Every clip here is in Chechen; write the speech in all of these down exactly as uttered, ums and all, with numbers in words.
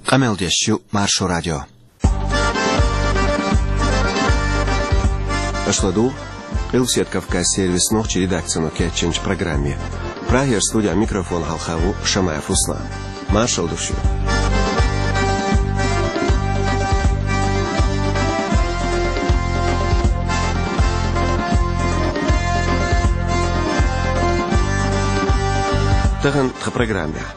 Къамел деш ю Маршо радио. Аша ладугӀу Къилбаседа Кавказан сервисан нохчийн редакцино кечйинчу программе. Прагера студехь микрофон хьалха ву Шамаев Руслан. Маршалла ду шуьга. Тахана тхан программехь.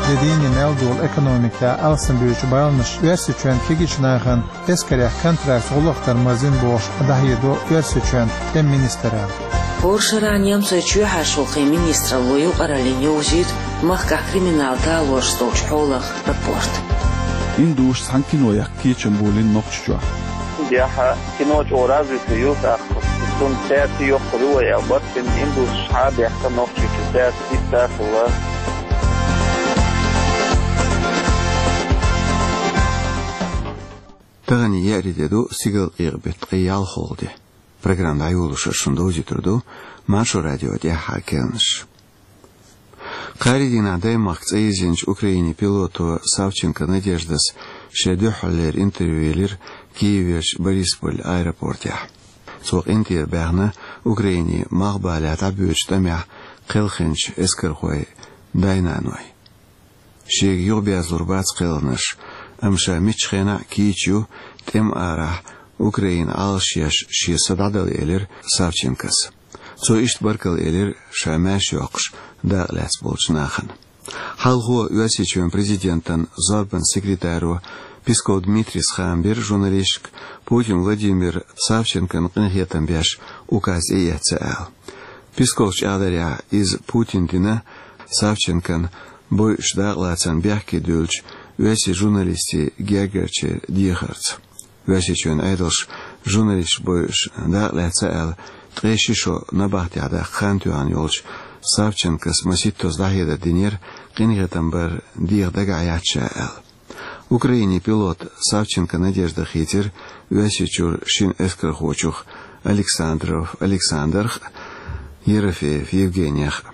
Де дийне мел долу экономикехь алсамбуьйчу баланаш Оьрсийчоьнан кегийчу нахана эскарехь контрактца гӀуллакх дар марзина бохуш дӀахьедо Оьрсийчоьнан тӀеман министралла. ХӀора шарахь немцойн чоьхьарчу гӀуллакхийн министралло юкъараллина йовзуьйту махкахь криминал талорш долчу хьолах рапорт. Индусаша цхьана кино яккха кечам болийна Нохчийчохь. Яхьа, кино чӀогӀа развитый ю, тӀаккха цунна цаьрца йоккхур ю вай аьлла, барт бина индусаша схьа а баьхна Нохчийчу цаьрца иштта а хилла. Тахана еарин де ду, стигалкъекъа беттан ткъе ялхалгӀа де. Программа дӀайолош шуна довзуьйтур ду Маршо радион тӀаьххьара керланаш. Кхаарин дийнахь Даймахка цӀа йирзинчу Украинин пилото Савченко Надеждас шен дуьххьарлера интервью елира Киеверчу Борисполь аэропортехь. Цо къинтӀера баьхна Украинин малхбалехь дӀабоьдучу тӀамехь кхелхинчу эскархойн дай-наной. Шега юхаберзалур бац кхелхинарш, амма ша миччу хенахь а кийча ю, тӀеман арахь Украинан Ӏалашъеш шен са дӀадала, элира Савченкос. Цо иштта баркалла элира ша маьрша йоккхуш дакъа лаьцна болчу нахана. Хьалхо Оьрсийчоьнан президентан зорбанан секретаро Песков Дмитрийс хаам бира журналисташка, Путин Владимира Савченкона къинхетам беш указ тӀеэцна аьлла. Песковс чӀагӀдарехь, иза Путина дина Савченкон бойуш дакъалацарна бехке дуьллучу оьрсийн журналистийн гергарчеран дехарца. Оьрсийчоьнан Ӏедалша журналисташ бойуш дакъалаьцна аьлла, ткъе ши шо набахтехь даккха хан тоьхна йолчу Савченкос масийттазза дӀахьедар динера, къинхетам бар деха дагахь яц ша аьлла. Украинин пилот Савченко Надежда хийцира Оьрсийчуьра шина эскархочух Александров Александрах а, Ерофеев Евгенийх а.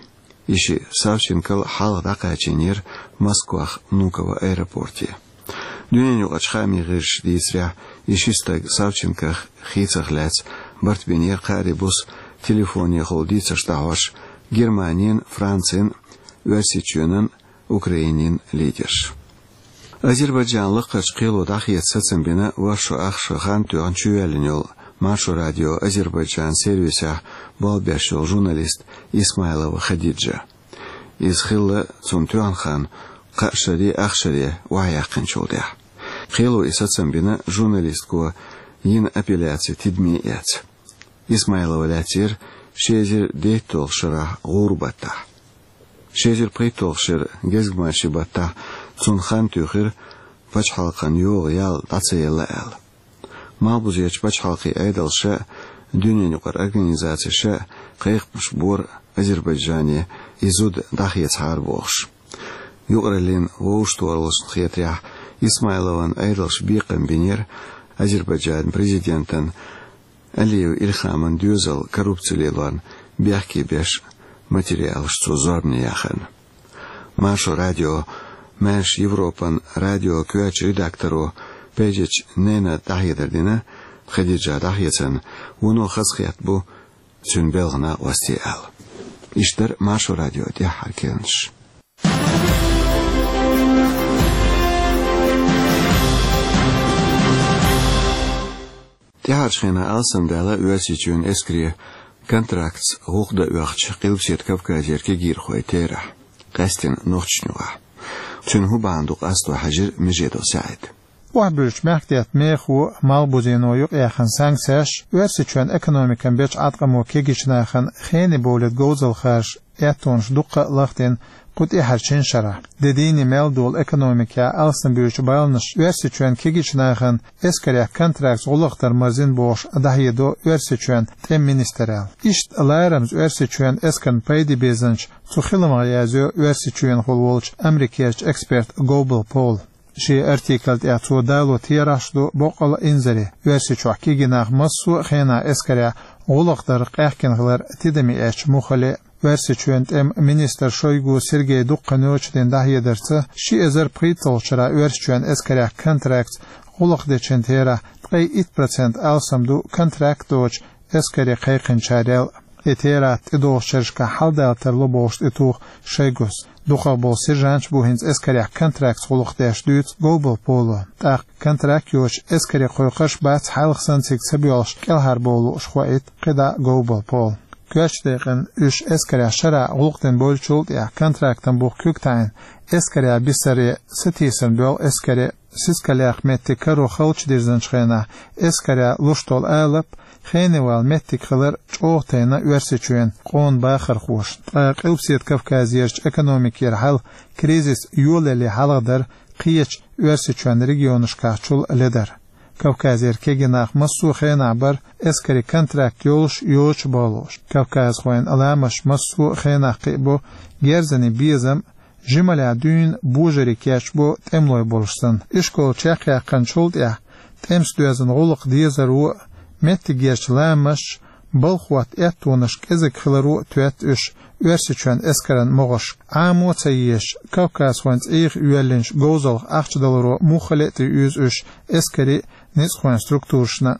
И шиъ Савченкол хьалха дӀакхачийнера Москвахь Внуково аэропорте. Дуьненаюкъарчу хаамийн гӀирсаша дийцарехь, и ши стаг Савченкох хийцарх лаьцна барт бинера кхаарин буса телефонехула дийцарш дӀахьош Германин, Францин, Оьрсийчоьнан, Украинин лидерш. Азербайджанан лакхарчу кхело дӀахеца сацам бина ворхӀ шо ах шо хан тоьхна чувоьллина йолу Маршо радион Азербайджанан сервисехь болх беш йолу журналист Исмайлова Хадиджа. Иза хилла цунна тоьхна хан кхаа шаре, ах шаре охьаяьккхинчул тӀаьхьа. Кхело и сацам бина журналистко йина апелляци тидаме эцна. Исмайлова лаьцнера ши эзар дейтталгӀачу шарахь гӀура баттахь. Ши эзар пхийтталгӀачу шеран гезгмашин баттахь цунна хан туьйхира пачхьалкхан йогӀу ял дӀа ца елла аьлла. Малхбузерчу пачхьалкхийн Ӏедалша а, дуьненаюкъара организацеша а кхайкхамаш бора Азербайджане и зуда дӀахецахьара бохуш. Юкъараллин вовшахтохараллашна хетарехь, Исмайлован Ӏедалша бекхам бинера Азербайджанан президентан Алиев Илхаман доьзал коррупци лелорна бехке беш материалаш цо зорбане яхарна. Маршо радион, Маьрша Европан радион коьртачу редакторо Пейджич Ненад дӀахьедар дина, Хадиджа дӀахецарна вуно хазахетта бу цуьнан белхан накъостий аьлла. Иштта дара Маршо радион тӀаьххьара керланаш. ТӀаьхьарчу хенахь алсамдаьлла Оьрсийчоьнан эскаре контрактца гӀуллакх дан оьхучу Къилбаседа Кавказера кегийрхойн терахь, къаьсттина Нохчийчохь. Цуьнан хӀун бахьана ду къасто хьаьжира Межедов СаьӀид. Охьабуьллучу мехкдаьтта мехо, Малхбузено юкъаяьхна санкцеш, Оьрсийчоьнан экономикана бечу Ӏаткъамо кегийчу нахана хене бовлийта говзалла харжа, аьттонаш дуккха а лахдина кху тӀаьхьарчу шина шарахь. Де дийне мел долу экономикехь алсамбуьйчу баланаш Оьрсийчоьнан кегийчу нахана эскарехь контрактца гӀуллакх дар марзина бохуш дӀахьедо Оьрсийчоьнан тӀеман министралла. Иштта ларамаза Оьрсийчоьнан эскарна пайде безанчу цу хиламах язйо Оьрсийчоьнахула волчу Америкерчу эксперта Гобл Пола. Шен артикла тӀехь цо дало терахьаш ду боккъал а инзаре, Оьрсийчохь кегий нах массо а хенахь эскарехь гӀуллакх дарх къаьхкина хилар тидаме эцча муххале а. Оьрсийчоьнан тӀеман министр Шойгу Сергей дуккха ночдин дӀахьедарца, ши эзар пхийтталгӀачу шарахь Оьрсийчоьнан эскарех контрактца гӀуллакх дечун терахь ткъе итт процент алсам ду контракт доцучу эскаре кхайкхинчарел. И терахь тӀедогӀучу шерашкахь хьаладала тарло бохуш тӀетуху Шойгус. Дукхах болу сержанташ бу хӀинца эскарех контрактца гӀуллакх деш, дуьйцу Говбал Поло. ТӀаккха контракт йоцуш эскаре кхойкхуш бац, хьалха санна цига ца боьлхуш кӀелхьарбовла лууш, хоуьйту кхидӀа Говбал Пола. Коьртачу декъана уьш эскарех шарахь гӀуллакх дина бевллачул тӀаьхьа контрактан бух куьг таӀийна, эскаре бисаре сатийсарна боьлху эскаре сискалех меттиг каро халчу дирзинчу хенахь, эскаре луш долу алап, хене вала меттиг хилар чӀогӀа тайна Оьрсийчоьнан къона бахархошна. Ткъа Къилбаседа Кавказерчу экономикера хьал кризис йолале хьалхадара кхечу Оьрсийчоьнан регионашкахь чул ледара. Кавказера кегий нах массо а хенахь бара эскаре контракт йолуш, йоцуш а бахалуш. Кавказхойн ламаш массо а хенахь кхиабо герзане безам, жималехь дуьйна божарий кечбо тӀемалой болуш санна. Ишкол чекхъяьккхинчул тӀаьхьа тӀемаца доьзна гӀуллакх дезаро а, меттигерчу ламаш, балха хӀотта аьттонаш кӀезиг хиларо а тоьтту уьш Оьрсийчоьнан эскаран могӀаршка. Ӏамо а ца езаш, кавказхойн цӀийх йоьллинчу говзалх ахча даларо муххале а тӀеуьйзу уьш эскаре а, ницкъахойн структурашна а.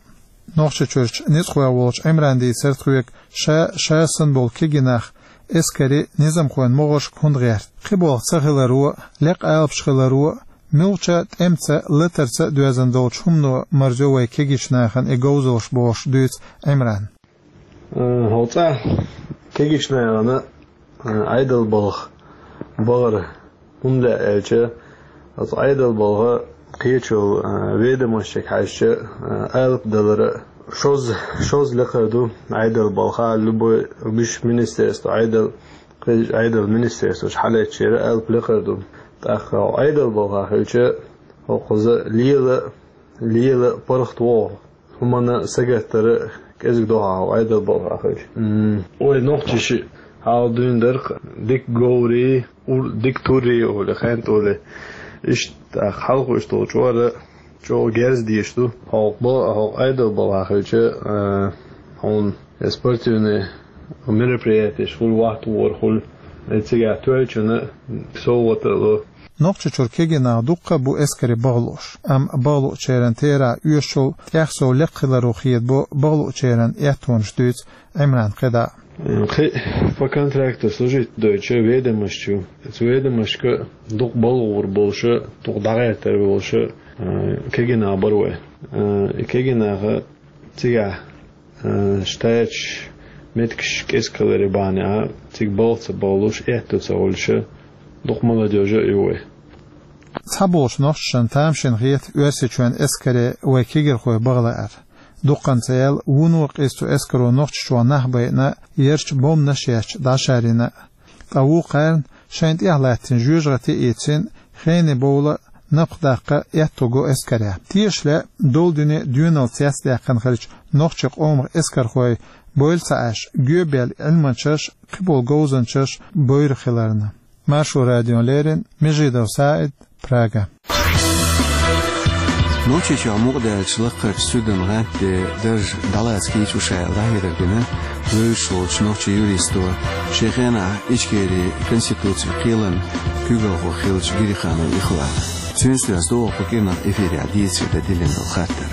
Нохчийчуьрчу ницкъахой волчу Ӏимрана дийцира тхоьга, ша, ша санна болу кегий нах эскаре, низамхойн могӀаршка хӀунда гӀерта. Кхин болх ца хиларо а, лекха алапаш хиларо а, муьлххачу тӀемаца, латарца а доьзна долчу хӀумано марзо вай кегийчу нахана и говзалш, бохуш дуьйцу Ӏимрана. Э, хьо цкъа кегийчу нахана, э, Ӏедал балха бахара. ХӀунда аьлча, оцу Ӏедал балха кхечул, а, ведомостех хьаьжча, а, алапа далара шозза, шозза лекха ду Ӏедал балха, любой, муьш министерство, Ӏедал, кхечу Ӏедал министерствош хьалаьцчера алапа лекха ду. ТӀаккха Ӏедал балха хилча, хӀокхуза лела, лела паргӀат вогӀу. ХӀуманна сагатдара кӀезиг дохьа хьо Ӏедал балха хилча. М, вай нохчаша хьалха дуьйна дара-кх дика говрий, ур-, дика туррий олий, хентӀа олий. Иштта хьалха уьш долчу чӀора чӀогӀа герз дезаш ду. Хьо ба-, хьо Ӏедал балха хилча, а, хьуна я спортивный мероприятиеш хуьлу, вахт вора хуьлу, и цигахь тоьллачунна совгӀат а ло. Нохчийчуьра кегий нах дуккха а бу эскаре бахалуш, амма бахалучеран терахь оьшучул тӀехсов лекха хиларо хедабо бахалучеран аьттонаш, дуьйцу Ӏимрана кхидӀа. Кхин по контракту служить дойтучу ведомость ю. Оцу ведомостка дукха балхахь болуша, дукха дӀагӀертар болуша, э, кегий нах бара вай. Э, и кегий наха цигахь, э, штаташ, меттигаш кӀезиг хиларе бахьана а, цига балха ца бахалуш, аьтто ца хуьлуша, дукха молодёжь а ю вай. Цхьаболчу нохчашна тамашийна хета Оьрсийчоьнан эскаре вай кегийрхой баха лаар. Дуккханца аьлла, вуно къиза цу эскаро Нохчийчохь нах байина, ярчу бомбанаш ечча дӀашарйина. Ткъа вукхарна шайна тӀехь латтийна жоьжахати а ийцина, хене бовла, напха даккха аьтто го эскарехь. Тешале, долу дуьне доьналла цецдаьккхина хиллачу нохчийн къомах эскархой бовла ца Ӏаш, гоьбаьлла Ӏилманчаш, кхиболу говзанчаш бовра хиларна. Маршо радиона леррина Межидов СаӀид, Прага. Нохчийчохь мукъадаьллачу Лакхарчу суьдан гӀантде дарж дӀалаца кийча шу аьлла дӀахьедар дина вевзаш волчу нохчийн юристо, шен хенахь Ичкерин конституцин кхелан куьйгалхо хиллачу Гириханов Ихвана. Цуьнца доьзна ду кху кӀирнах эфирехь дийцаре дан диллина долу хаттар.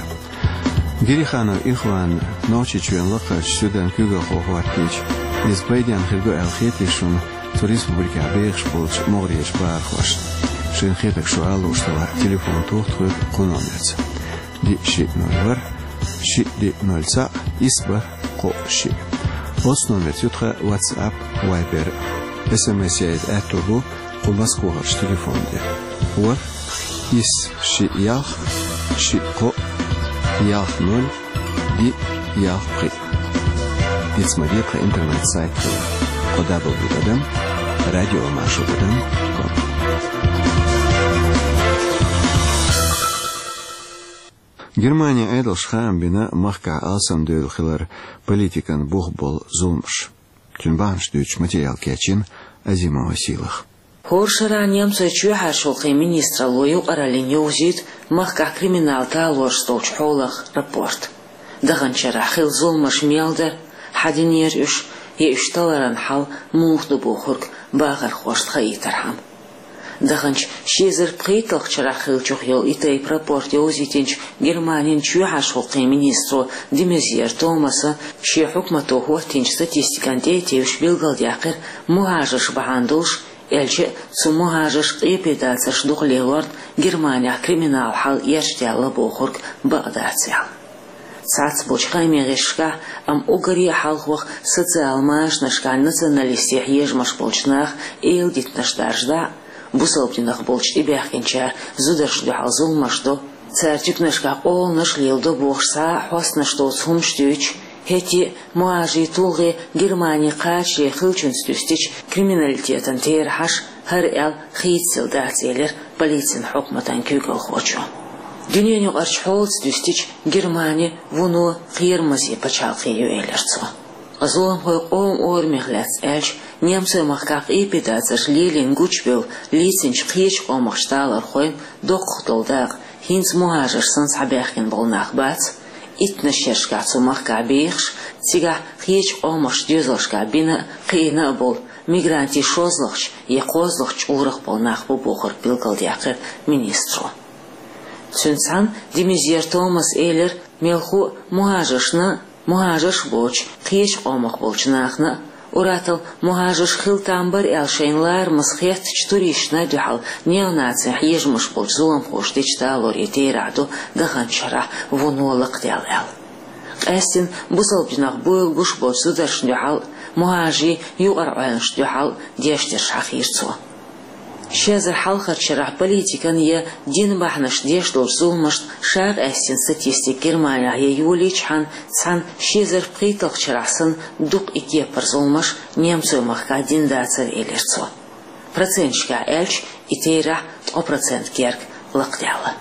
Гириханов Ихван Нохчийчоьнан Лакхарчу суьдан куьйгалхо хӀоттийча, иза пайденна хир ду аьлла хетий шуна цу республикехь бехаш болчу могӀарерчу бахархошна? Шайна хетарг шу ала лууш делахь, телефон тоха тхоьга кху номерца: диъ шиъ ноль ворхӀ, шиъ диъ ноль цхьаъ, исс бархӀ кхоъ шиъ. Оцу номерца ю тхан WhatsApp, Viber. СМС яийта аьтто бу кху Москвахарчу телефон тӀе: ворхӀ, исс шиъ ялх, шиъ кхоъ, ялх ноль, диъ ялх пхиъ. Ица ма де тхан интернет-сайт хилар: кхо дабл ю тӀадам радиомаршо тӀадам ком. Германин Ӏедалша хаам бина махкахь алсамдевлла хилар политикан бух болу зуламаш. Цуьнан бахьанаш дуьйцучу материал кечйина Азимова Сийлаха. ХӀора шарахь немцойн чоьхьарчу гӀуллакхийн министралло юкъараллина йовзуьйту махкахь криминал талораш долчу хьолах рапорт. Даханчу шарахь хилла зуламаш мел дара, хьан динера уьш, я уьш таларан хьал муха ду бохург бахархошта хаийтархьама. Даханчу ши эзар пхийтталгӀачу шарахь хиллачух йолу и тайпа рапорт йовзийтинчу Германин чоьхьарчу гӀуллакхийн министро де Мезьер Томаса шен хьукмато хӀоттийначу статистикана тӀе а тевжаш билгалдаьккхира, мухӀажарш бахьана долуш, аьлча а цу мухӀажарша къепедацарш дукха лелорна Германехь криминал хьал эрчадаьлла бохург бакъ дац аьлла. Цхьацца болчу хаамийн гӀирсашкахь, амма уггаре а хьалхох социал машанашкахь националистийн хьежамаш болчу наха эладитанаш даржадахь, бусалба динах болчу тӀебаьхкинчара зударшна дуьхьал зуламаш до, цара туьканашкахь къоланаш а леладо бохуш цхьа а хьостанаш доцу хӀуманаш дуьйцуш, хӀетте а мухӀажарийн тулгӀе Германе кхачаре хиллачуьнца дуьстича, криминалитетан терахьаш хӀара аьлла хийцаделла дац, элира полицин хьукматан куьйгалхочо. Дуьненаюкъарчу хьолаца дуьстича, Германи вуно кхерамаза пачхьалкх ю, элира цо. Ткъа зуламхойн къоман орамех лаьцна аьлча, немцойн махкахь къепедацарш лелийна гучубевлла лецначу кхечу къомах талорхойн доккхах долу дакъа хӀинца мухӀажарш санна схьабаьхкина болу нах бац, иттаннаш шерашкахь цу махкахь бехаш, цигахь кхечу къомах доьзалшкахь бина а, кхиъна а болу мигрантийн шозлагӀчу я кхозлагӀчу чкъурах болу нах бу бохург билгалдаьккхира министро. Цуьнца цхьаьна де Мезьер Томаса элира, мелхо а мухӀажаршна а, мухӀажарш а боцуш кхечу къомах болчу нахана а, уьттазза мухӀажарш хила там бара аьлла шайна ларамаза хеттачу туристашна а дуьхьал неонацийн хьежамаш болчу зуламхоша дечу талорийн терахь ду даханчу шарахь вуно лакхадаьлла аьлла. Къаьсттина бусалба динах буьйлабеш болчу зударшна дуьхьал а, мухӀажарийн юкъара Ӏуьлланашна дуьхьал а деш дерш хьахийра цо. Ши эзар хьалхарчу шарахь политикан я динан бахьанаш деш долчу зуламашна ша къаьстина статистика Германехь я йолийчхьана, цхьана ши эзар пхийтталгӀачу шарахь санна дукха и кепара зуламаш немцойн махкахь дина дацара, элира цо. Проценташкахь аьлча, и терахь ткъа процент герга лакхадаьлла.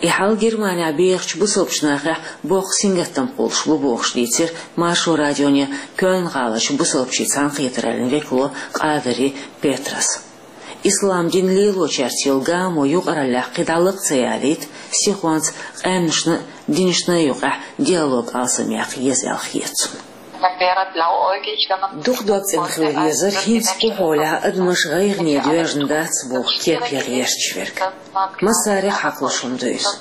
И хьал Германехь бехачу бусалбачу нахехь боккха сингаттам кхуллуш бу бохуш дийцира Маршо радионе Кёльн-гӀаларчу бусалбачийн цхьаьнакхетараллин векало Къадари Петрас. Ислам дин лелочаьрца йолу гамо юкъараллехь кхидӀа лакха ца ялийта, сихонца къаьмнашна а, динашна а юкъахь диалог алсамъяккха еза аьлла хета цунна. Дукха дог цӀена хила везара, хӀинца кху хьолехь адамаш гӀайгӀане доьжна дац боху кеп ян гӀерташ верг. Массарех хьакхалуш хӀума ду иза.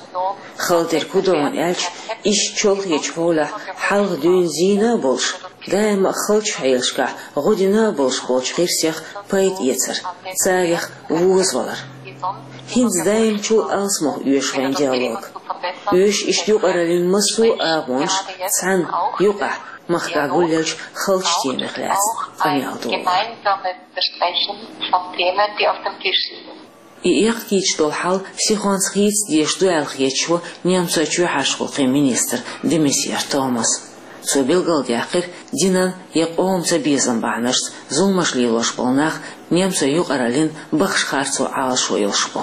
Хала дерг хӀун ду аьлча, иштта чолхечу хьолехь хьалха дуьйна зийна а болуш, даима а халчу хьелашкахь гӀо дина а болуш болчу гӀирсех пайда эцар, царех возавалар. ХӀинца даимчул алсамох оьшу вайн диалог. Оьшу иштта юкъараллин массо а агӀонаш цхьаьна, юкъахь, махкахь гулъеллачу халчу темех лаьцна къамел долу. И эккхийташ долу хьал сихонца хийца дезаш ду аьлла хеташ ву немцойн чоьхьарчу гӀуллакхийн министр де Мезьер Томас. Цо билгалдаьккхира, динан я къоман цабезам бахьанашца зуламаш лелош болу нах немцойн юкъараллин бахаш харцо Ӏалашо йолуш бу.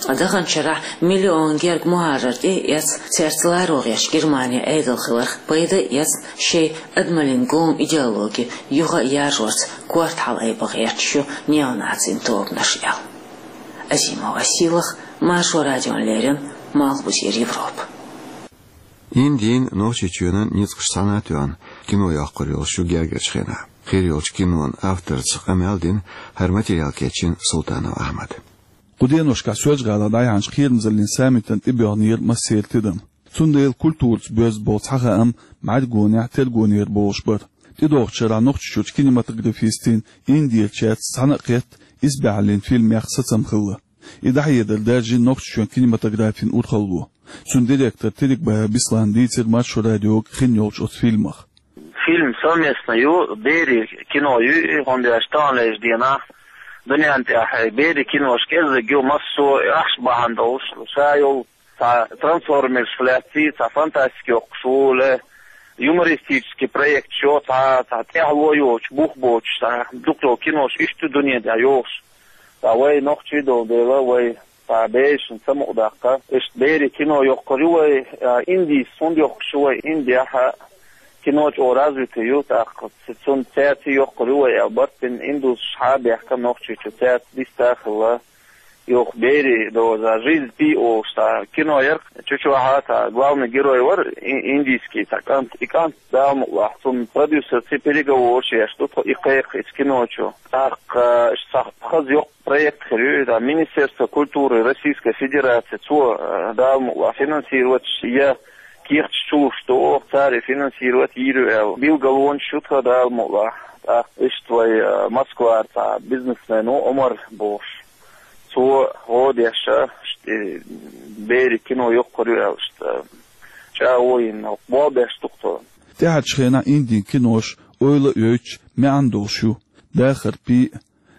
Ткъа даханчу шарахь миллион герга мухӀажар тӀе а эцна, цаьрца ларо гӀерташ Германи Ӏедал хиларх пайда а эцна, шайн адамаллин гома идеологи юха а яржорца корта хьалаайба гӀерташ ю неонацийн тобанаш аьлла. Азима Василах, Маршо радиона леррина, Малхбузера Европа. Индин, Нохчийчоьнан ницкъаш цхьаьна а тоьхна, кино йоккхур йолуш ю гергарчу хенахь. Хир йолчу кинон авторца къамел дина хӀара материал кечйина Султанов Ахьмада. Кху деношкахь Соьлжа-ГӀалахь дӀаяьхьначу кхерамазаллин саммитана тӀебоьхнера массеран тидам. Цундела культураца боьзна болу цхьа хаам бӀаьргонехь, тергонера болуш бара. ТӀедогӀучу шарахь Нохчийчуьрчу кинематографистийн Индерчаьрца цхьаьна а кхетта исбаьхьаллин фильмех сацам хилла. И дӀахьедар даржийна Нохчийчоьнан кинематографин урхалло. Цуьнан директор Терекбаев Беслана дийцира Маршо радиога хин йолчу оцу фильмах. Фильм совместно ю, берийн кино ю, и хӀунда аьлча таханлерчу дийнахь дуьнен тӀехь берийн кинош кӀеззиг ю, массо а ахча бахьана долуш, ша йолу цхьа трансформерш лаьцна, цхьа фантастика йоккхуш ву, ле юмористический проект йо, цхьа, цхьа тӀаьхьало йоцуш, бух боцуш, цхьа дукха йолу кинош иштта ю дуьнен тӀехь йохуш. Ткъа вай нохчий долу дела, вай цхьа берашна самукъадаккха. Иштта берийн кино йоккхур ю вай, а, Индис хӀунда йоккхуш ю вай, Индехь а кино чӀогӀа развитый ю, тӀаккха ц-, цунна цаьрца йоккхур ю вай аьлла барт бина, индусаш схьа а баьхкина Нохчийчу, цаьрца диста а хилла. Юха «Бери доза жизнь пи» олуш цхьа кино яра. Чу чохь цхьа главный герой вара и-, индийский цхьа кӀант. И кӀант, Дала мукъалахь, цунна продюсерца переговораш еш ду тхо и кхайкха иза кино чу. ТӀаккха, э, иштта цхьа хаза йоккха проект хир ю, иза Министерство культуры Российской Федерации, цо, э, Дала мукъалахь, финансировать я кехаташ чулуш ду, цара финансировать йийр ю аьлла. Билгалонаш ю тхан, Дала мукъалахь. ТӀаккха иштта вай, э, Москвара цхьа бизнесмен ву Омар бохуш. Цо гӀо деш, иштта, э, «Бери» кино йоккхур ю аьлла, иштта, э, чӀагӀо йина, болх беш ду тхо. ТӀаьхьарчу хенахь Индин кинош ойла а йойтуш, маьӀна долуш ю. «Дахар пи»,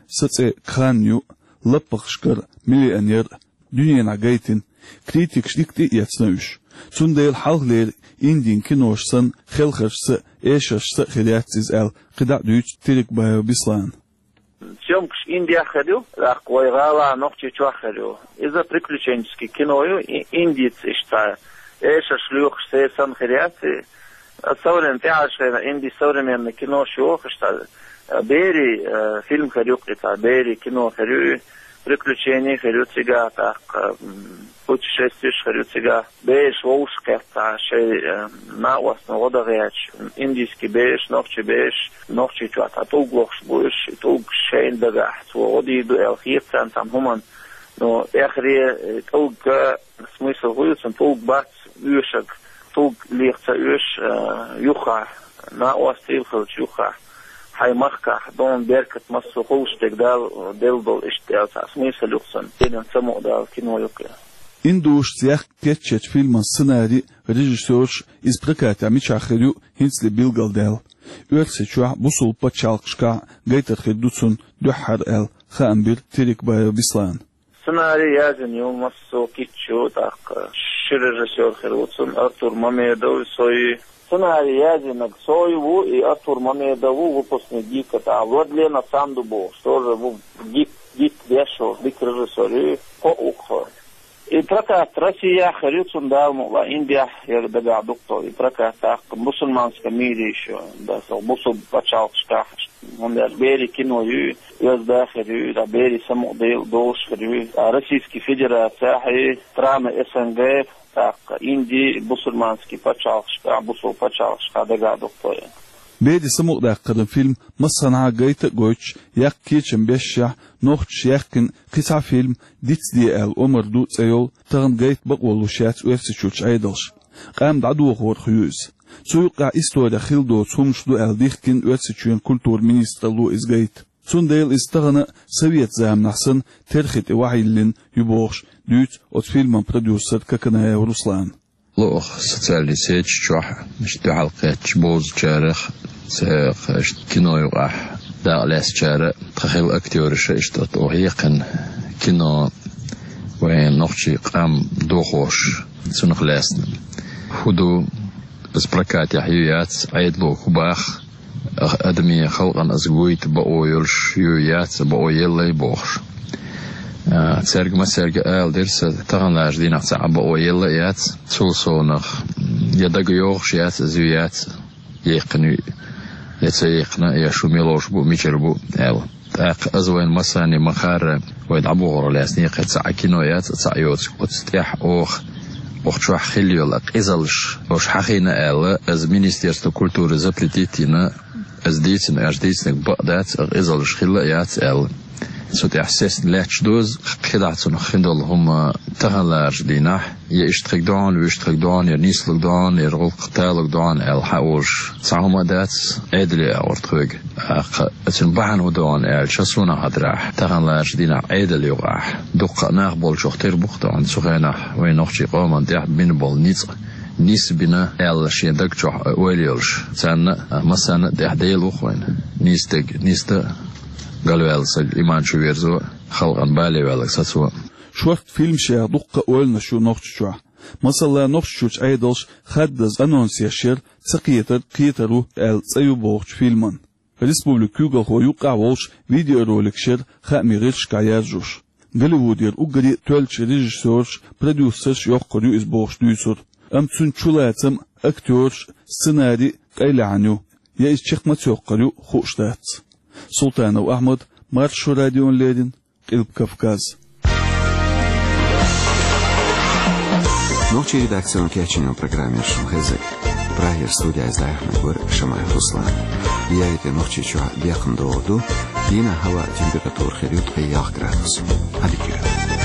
«Сацкъа Кхан» ю, «Лаппахашкара миллионер», дуьненахь гайтина, критикаша дика тӀе а эцна уьш. Цундела хьалхалера Индин кинош санна, хелхаршца а, эшаршца а хир яц иза аьлла, кхидӀа а дуьйцу Терекбаев Беслана. Съёмкаш Индехь хир ю, тӀаккха вай гӀалахь, Нохчийчохь хир ю. Иза приключенческий кино ю, и-, индийца иштта эшарш лоьхуш, церан санна хир яц и. Современ-, тӀаьхьарчу хенахь Индин современный кинош йохуш цхьа, э, «Бери», э, фильм хир ю кхин цхьа, «Бери» кино хир ю, приключени хир ю цигахь, тӀаккха, м, путешествиеш хир ю цигахь. Бераш вовшахкхетта шайн, э, накъостна гӀо дан гӀерташ, индийский бераш, нохчийн бераш, Нохчийчохь цхьа тӀулг лохуш бу уьш, и тӀулг шайна дагахь, цо гӀо дийр ду аьлла хета царна цхьана хӀуманна. Но эххар, э, тӀулг, э, смысл хӀун ю цуьнан, тӀулг бац оьшург, тӀулг леха ца оьшу, э, юххехь, накъостий хилча юххехь, хьайн махкахь, дона беркат массо а хуьлуш дерг Дала делла долу иштта аьлла цхьа смысл ю-кх цуьнан, динан самукъадала кино ю-кх и. Индошца яхка кечъечу фильман сценарий а, режиссёрш а, иза прокатехь мичахь хир ю хӀинцале билгалдаьлла. Оьрсийчохь, бусулба пачхьалкхашкахь а гайтар хир ду цунна дуьххьара аьлла, хаам бира Терекбаев Беслана. Сценарий язйина ю массо а кийча, тӀаккха ши режиссёр хир ву цуьнан, Артур Мамедов, со ю. Сценарий язйинарг со ю ву, и Артур Мамедов ву, выпускник ГИКа, тӀаккха Владлена Санду бохуш, тоже ву ГИК, ГИК деш волу, дика режиссёр ю, кхоъ ву-кх со. И прокат Россехь хир ю цуьнан, Дала мукъалахь, Индехь яра дагахь ду-кх со, и прокат тӀаккха мусульманском мире ещё, да, со бусулба пачхьалкхашкахь. ХӀунда аьлча «Бери» кино ю, оьзда хир ю, да, берийн самукъадала долуш хир ю, а Российский Федерацехь и страны СНГ, тӀаккха Инди, бусульманский пачхьалкхашкахь, бусулба пачхьалкхашкахь дагахь ду-кх со. «Бери» самукъадаккхаран фильм массанхьа гайта а гойтуш, яккха кечам бешшехь, нохчаша яьккхина кхин цхьа фильм дицде аьлла омра ду цӀе йолу, тахана гайта бакъо луш яц Оьрсийчуьрчу Ӏедалша. Къам дӀадохорах ю иза. Цу юккъехь исторехь хилла доцу хӀуманаш ду аьлла дихкина Оьрсийчоьнан культуран министралло иза гайта. Цундела иза тахана а, совет заманахь санна, терхи тӀе охьайиллина ю бохуш, дуьйцу оцу фильман продюсера Коканаев Руслана. Лоьху социальный сеташ чохь, иштта дуьхьал кхеттачу бовзачарах, цхьа, иштта кино юкъахь дакъа лаьцначара, тхан хилла актёраша, иштта оцу хьекхина кино вайн нохчийн къам дохош, цунах лаьцна. ХӀун ду, аса прокатехь ю яц, Ӏедало хӀун боху, адамийн халкъана аса гойту бакъо йолуш ю яц, бакъо елла а бохуш. А, цаьрга массаьрга ала дира сан, таханлерчу дийнахь цхьа а бакъо елла а яц, цул совнах, я дага йогӀуш яц, аса ю яц, яьккхина ю, я ца яьккхина, я шу мила ловш бу, мичара бу аьлла. ТӀаккха аса вайна массарна ма-хаъара, вай дӀабохорах лаьцна кхин цхьа а кино яц, цхьа а йоцу. Оцу тӀехь оха, оха чохь хилла йолу къизаллаш, оша хьахийна аьлла, аса Министерство культуры запретить йина, аса дийцина, аса дийцинарг бакъ дац, а къизаллаш хилла а яц аьлла. Цу тӀехь сецна лаьтташ ду аса, кхидӀа цунах хин долу хӀума таханлерчу дийнахь, я иштта хиг догӀна, вуьшта хиг догӀна, я нислаг догӀна, я гӀуллакх талаг догӀна аьлла хьан олуш цхьа хӀума а дац, Ӏедале агӀор тхоьга. ТӀаккха цуьнан бахьана хӀун ду аьлча, суна хетарехь, таханлерчу дийнахь Ӏедал юкъахь дуккха а нах болчух тера бу-кх тахана цу хенахь вайн нохчийн къоман тӀехь бина болу ницкъ, нисбина аьлла шен даг чохь ойла йолуш. Царна а, массарна а тӀехь Дела ву-кх вайна. Нийса дерг нийса дан, галваьлла саг иман чу верзо, халкъана бале ваьлларг сацо. Шортта фильмашех дуккха а ойланаш ю Нохчийчохь. Масала, Нохчийчуьрчу Ӏедалша хаддаза анонс еш яра «Ца кхетар кхетар ву» аьлла цӀе ю бохучу фильман. Республикан куьйгалхо юккъехь волуш видеороликаш яра хаамийн гӀирсашкахь яржош. Голливудера уггаре а тоьллачу режиссёраш, продюсераш йоккхур ю иза бохуш дуьйцура. Амма цуьнан чулацам а, актёраш а, сценарий а къайлаьхьна ю. Я иза чекх маца йоккхур ю, хууш дац. Султанов Ахьмад, Маршо радиона леррина, Къилба Кавказ. Нохчийн редакцион кечйола программа шуна хезар. Прагера студех из дӀаяхьнарг вар Шамаев Руслан. Яйта Нохчийчохь бекхам догӀур ду, дийнахь хӀаваан температура хир ю ткъе ялх градус. Ӏадика йойла.